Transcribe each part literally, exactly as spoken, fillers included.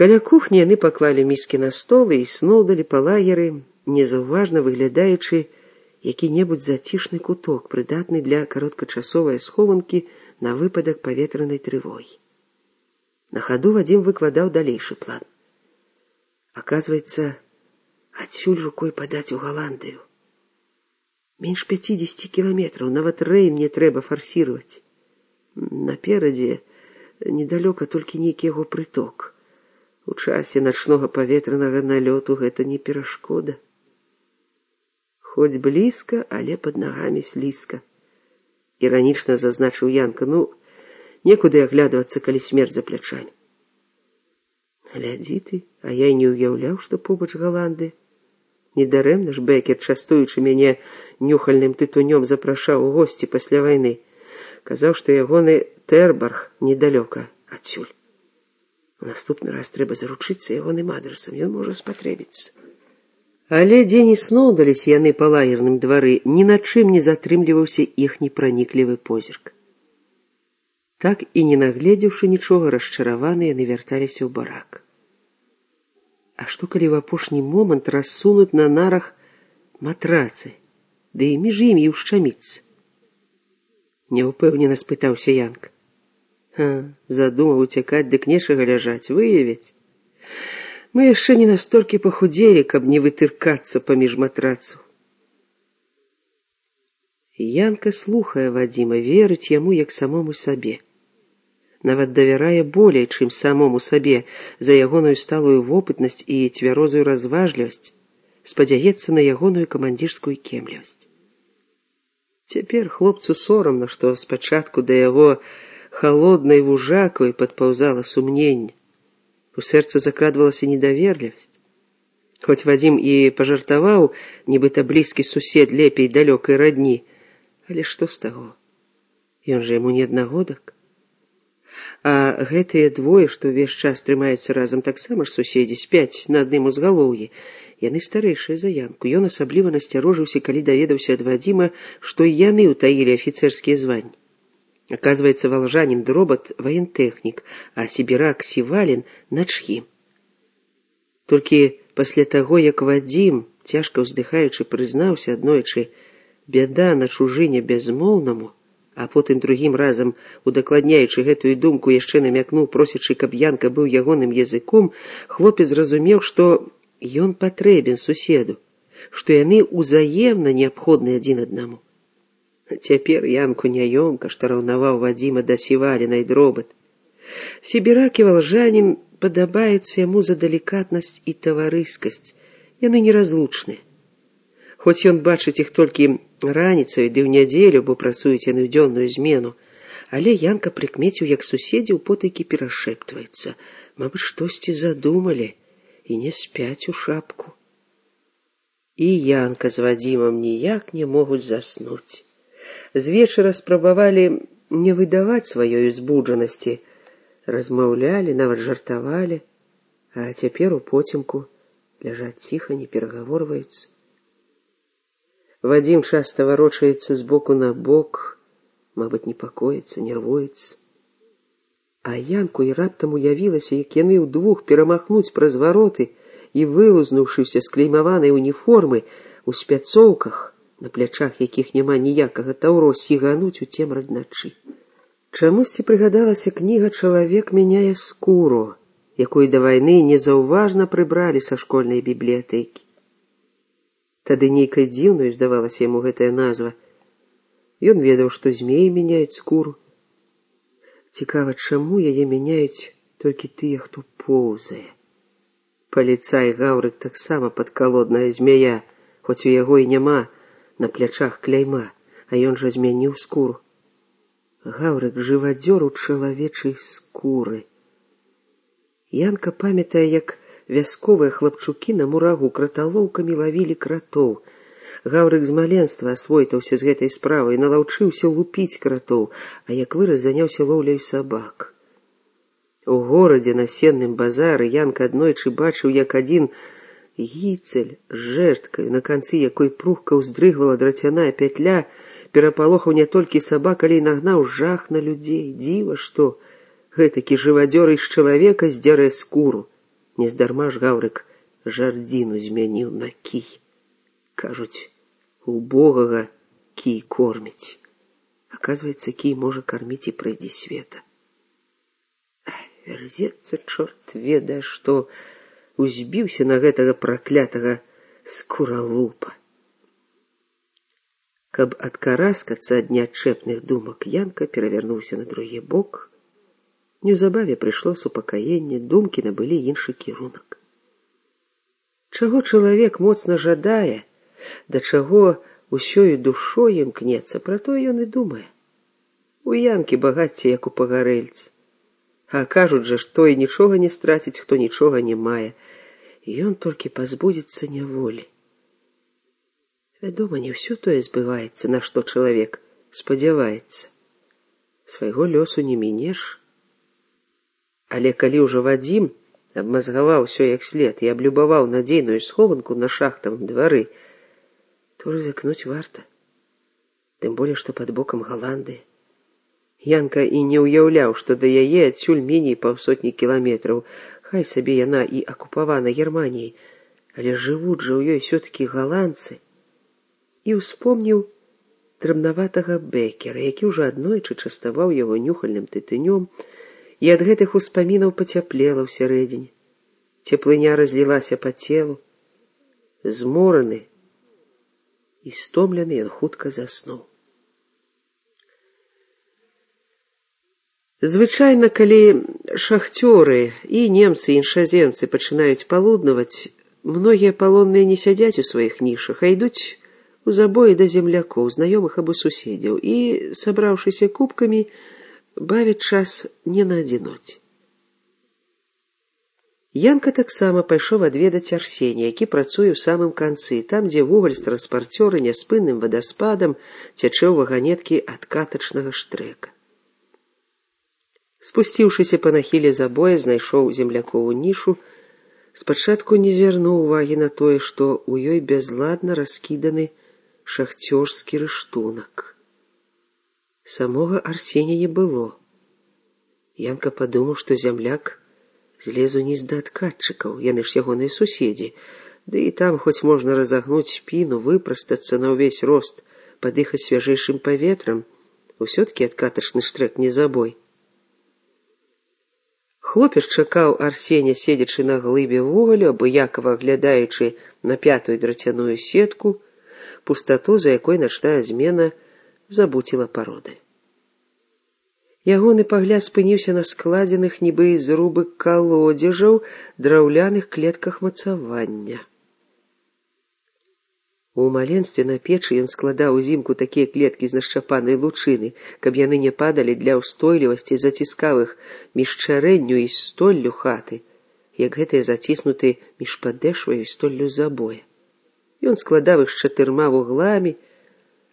Каля кухні яны паклалі міскі на стол і сноўдалі па лагеры, незаўважна выглядаючы які-небудзь зацішны куток, прыдатны для кароткачасовай схованкі на выпадак паветранай трывогі. На хаду Вадзім выкладаў далейшы план. Аказваецца, адсюль рукой падаць у Галандыю. Менш пяцідзесяці кіламетраў, нават рэйн не трэба фарсіраваць. Наперадзе недалёка толькі нейкі яго прыток. У часе начнога паветранага налёту гэта не перашкода. Хоць блізка, але пад нагамі слізка. Іранічна зазначыў Янка, ну, некуды аглядвацца, калі смерць за плячамі. Глядзі ты, а я і не ўяўляў, што побач Галандыя. Недарэмна ж Бекер, частуючы мяне нюхальным тытунём, запрашаў у госці пасля вайны. Казаў, што ягоны Тэрбарг недалёка адсюль. У наступны раз трэба заручыцца ягоным адрасам, ён можа спатрэбіцца. Але дзе не сноўдаліся яны па лагерным двары, ні на чым не затрымліваўся іхні праніклівы позірк. Так і не нагледзеўшы нічога, расчараваныя яны вярталіся ў барак. А што калі ў апошні момант рассунуць на нарах матрацы, ды і між імі ўшчаміцца? Няўпэўнена спытаўся Янка. Ха, задумаў уцякаць, дык нечага ляжаць, выявіць. Мы яшчэ не настолькі пахудзелі, каб не вытыркацца паміж матрацаў. Янка слухае Вадзіма, верыць яму як самому сабе. Нават давярае болей, чым самому сабе, за ягоную сталую вопытнасць і цвярозую разважлівасць, спадзяецца на ягоную камандзірскую кемлівасць. Цяпер хлопцу сорамна, што спачатку да яго холоднай вужакой падпаўзала сумненне. У сэрца закрадвалася недаверлівасць. Хоць Вадзім і пажартаваў, нібыта блізкі сусед лепей далёкай радні, але што з таго? Ён жа яму не аднагодак. А гэтыя двое, што ўвесь час трымаюцца разам, таксама ж суседзі, спяць на адным узгалоўі. Яны старэйшыя за Янку. Ён асабліва насцярожыўся, калі даведаўся ад Вадзіма, што і яны ўтаілі афіцэрскія званні. Оказывается, волжанин Дробот — воентэхнік, а сібірак Сівалін — начхім. Толькі пасля таго, як Вадзім, цяжка ўздыхаючы, прызнаўся аднойчы, бяда на чужыне бязмоўнаму, а потым другім разам, удакладняючы гэтую думку, яшчэ намякнуў, просячы, каб Янка быў ягоным языком, хлопец зразумеў, што ён патрэбен суседу, што яны ўзаемна неабходны адзін аднаму. Цяпер Янку няёмка, што раўнаваў Вадзіма да Сіваліна і Дробат. Сібірак і валжанін падабаюцца яму за далікатнасць і таварыскасць. Яны неразлучныя. Хоць ён бачыць іх толькі раніцаю ды ў нядзелю, бо працуюць яны ў дзённую змену, але Янка прыкмеціў, як суседзі ў потайкі перашэптваюцца. Мабыць, штосьці задумалі і не спяць у шапку. І Янка з Вадзімам ніяк не могуць заснуць. З вечара спрабавалі не выдаваць сваёй узбуджанасці, размаўлялі, нават жартавалі, а цяпер у поцемку ляжаць ціха, не перагаворваюцца. Вадзім часта варочаецца з боку на бок, мабыць, непакоіцца, нервуецца. А Янку і раптам уявілася, як яны ўдвух перамахнуць праз вароты і, вылузнуўшыся з клеймаванай уніформы, у спяцоўках, на плячах якіх няма ніякага таўро, сігануць у цемраць начы. Чамусьці прыгадалася кніга «Чалавек мяняе скуру», якую да вайны незаўважна прыбралі са школьнай бібліятэкі. Тады нейкай дзіўнай здавалася яму гэтая назва. Ён ведаў, што змеі мяняюць скуру. Цікава, чаму яе мяняюць толькі тыя, хто поўзае. Паліцай Гаўрык таксама падкалодная змяя, хоць у яго і няма на плячах кляйма, а ён жа змяніў скуру. Гаўрык — жывадзёр у чалавечай скуры. Янка памятае, як вясковыя хлапчукі на мурагу краталоўкамі лавілі кратоў. Гаўрык з маленства асвойтаўся з гэтай справай, налаўчыўся лупіць кратоў, а як вырас, заняўся лоўляй сабак. У горадзе на сенным базары Янка аднойчы бачыў, як адзін гіцель з жэрткаю, на канцы якой прухка ўздрыгвала драцяная пятля, перапалохаў не толькі сабак, але і нагнаў жах на людзей. Дзіва, што гэтакі жывадзёр з чалавека здзярэ скуру. Нездарма ж Гаўрык жардзіну змяніў на кій. Кажуць, убогага кій корміць. Аказваецца, кій можа карміць і прыйдзе света. Вярзецца, чорт ведае, што узбіўся на гэтага праклятага скуралупа. Каб адкараскацца ад неадчэпных думак, Янка перавярнуўся на другі бок. Неўзабаве прыйшло супакаенне, думкі набылі іншы кірунак. Чаго чалавек моцна жадае, да чаго усёю душой імкнецца, пра тое ён і думае. У Янкі багацце, як у пагарэльца. А кажуць жа, што і нічога не страціць, хто нічога не мае. І ён толькі пазбудзецца няволі. Вядома, не ўсё тое збываецца, на што чалавек спадзяваецца. Свайго лёсу не мінеш. Але калі ўжо Вадзім абмазгаваў усё як след і аблюбаваў надзейную схованку на шахтавым двары, то рызыкнуць варта. Тым болей, што пад бокам Галандыя. Янка і не ўяўляў, што да яе адсюль меней паўсотні кіламетраў, хай сабе яна і акупавана Германіяй, але жывуць жа ў ёй ўсё-такі галандцы. І ўспомніў драбнаватага Бекера, які ўжо аднойчы частаваў яго нюхальным тытынём, і ад гэтых успамінаў пацяплела ўсярэдзіне. Цеплыня разлілася па целу. Змораны і стомлены ён хутка заснуў. Звычайна, калі шахцёры і немцы, і іншаземцы пачынаюць палуднаваць, многія палонныя не сядзяць у сваіх нішах, а ідуць у забоі да землякоў, знаёмых або суседзяў, і, сабраўшыся купкамі, бавяць час не на адзіноце. Янка таксама пайшоў адведаць Арсенія, які працуе ў самым канцы, там, дзе вугаль з транспарцёра няспынным вадаспадам цячэ ў ваганеткі ад катачнага штрэка. Спусціўшыся па нахіле забоя, знайшоў землякову нішу, спачатку не звярнуў увагі на тое, што ў ёй бязладна раскіданы шахцёрскі рыштунак. Самога Арсенія не было. Янка падумаў, што зямляк злез уніз да адкатчыкаў, яны ж ягоныя суседзі, ды і там хоць можна разагнуць спіну, выпрастацца на ўвесь рост, падыхаць свяжэйшым паветрам, усё-ткі адкатачны штрек не забой. Хлопец чакаў Арсеня, седзячы на глыбе вугалю, абыякава аглядаючы на пятую драцяную сетку, пустату, за якой начная змена забуціла пароды. Ягоны пагляд спыніўся на складзеных нібы з рубы калодзежаў драўляных клетках мацавання. У маленстве на печы ён складаў узімку такія клеткі з нашчапанай лучыны, каб яны не падалі для ўстойлівасці, заціскаў іх між чарэнню і столлю хаты, як гэтыя заціснуты між падэшваю і столлю забоя. Ён складаў іх з чатырма вугламі,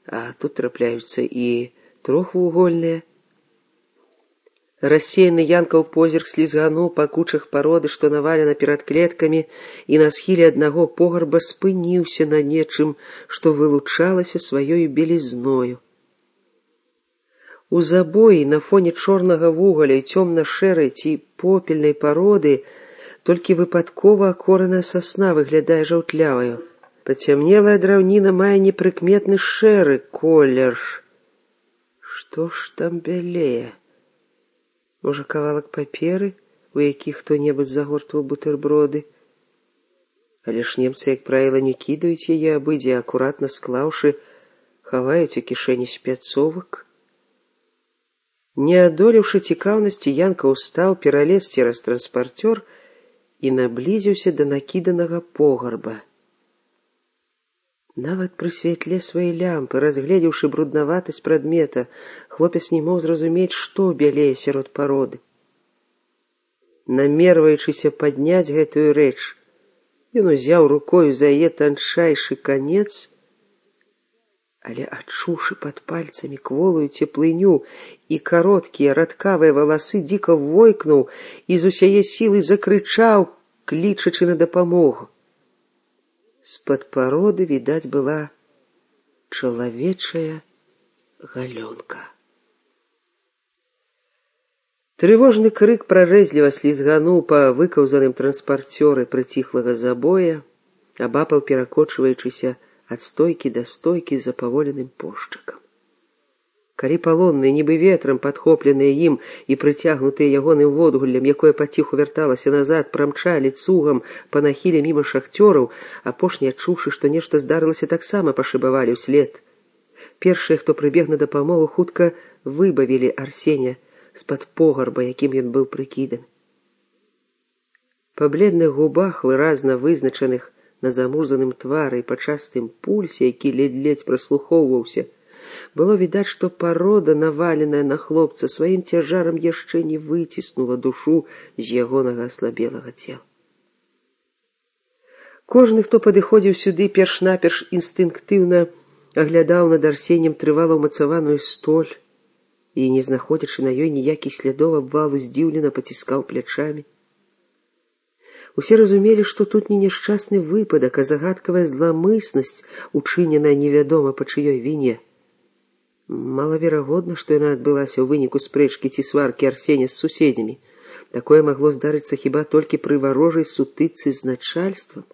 а тут трапляюцца і трохвугольныя. Рассеяны Янкаў позірк слізгануў па кучах пароды, што навалена перад клеткамі, і на схіле аднаго пограба спыніўся на нечым, што вылучалася сваёю белізною. У забоі на фоне чорнага вугаля і цёмна-шэрай ці попельнай пароды толькі выпадкова акораная сасна выглядае жаўтляваю. Пацямнелая драўніна мае непрыкметны шэры колер. Што ж там бялее? Можа, кавалак паперы, у якіх хто-небудзь загортваў бутэрброды? Але ж немцы, як правіла, не кідаюць яе абыдзе, акуратна склаўшы, хаваюць у кішэні спецовак. Не адолеўшы цікаўнасці, Янка ўстаў, пералез цераз транспарцёр і наблізіўся да накіданага пограба. Нават пры святле сваёй лямпы, разгледзеўшы бруднаватасць прадмета, хлопец не мог зразумець, што бялее сярод пароды. Намерваючыся падняць гэтую рэч, ён узяў рукою за яе танчайшы канец, але адчуўшы пад пальцамі кволую цеплыню і кароткія радкавыя валасы, дзіка войкнуў і з усяе сілы закрычаў, клічачы на дапамогу. З-пад пароды відаць была чалавечая галёнка. Трывожны крык прарэзліва слізгануў па выкаўзаным транспарцёры прыціхлага забоя, абапал перакочваючыся ад стойкі да стойкі за паволеным пошчакам. Калі палонныя, нібы ветрам падхопленыя ім і прыцягнутыя ягоным водгуллем, якое паціху вярталася назад, прамчалі цугам па нахіле міма шахцёраў, апошнія, адчуўшы, што нешта здарылася, таксама пашыбавалі ўслед. Першыя, хто прыбег на дапамогу, хутка выбавілі Арсеня з-пад погарба, якім ён быў прыкіданы. Па бледных губах, выразна вызначаных на замурзаным твары і па частым пульсе, які ледзь-ледзь праслухоўваўся, было відаць, што парода, наваленая на хлопца, сваім цяжарам яшчэ не выціснула душу з ягонага аслабелага цела. Кожны, хто падыходзіў сюды, перш-наперш інстынктыўна аглядаў над Арсенем трывала ўмацаваную столь і, не знаходзячы на ёй ніякіх слядоў абвалу, здзіўлена паціскаў плячамі. Усе разумелі, што тут не няшчасны выпадак, а загадкавая зламыснасць, учыненая невядома па чыёй віне. Малаверагодна, што яна адбылася ў выніку спрэчкі ці сваркі Арсеня з суседзямі. Такое магло здарыцца хіба толькі пры варожай сутычцы з начальствам.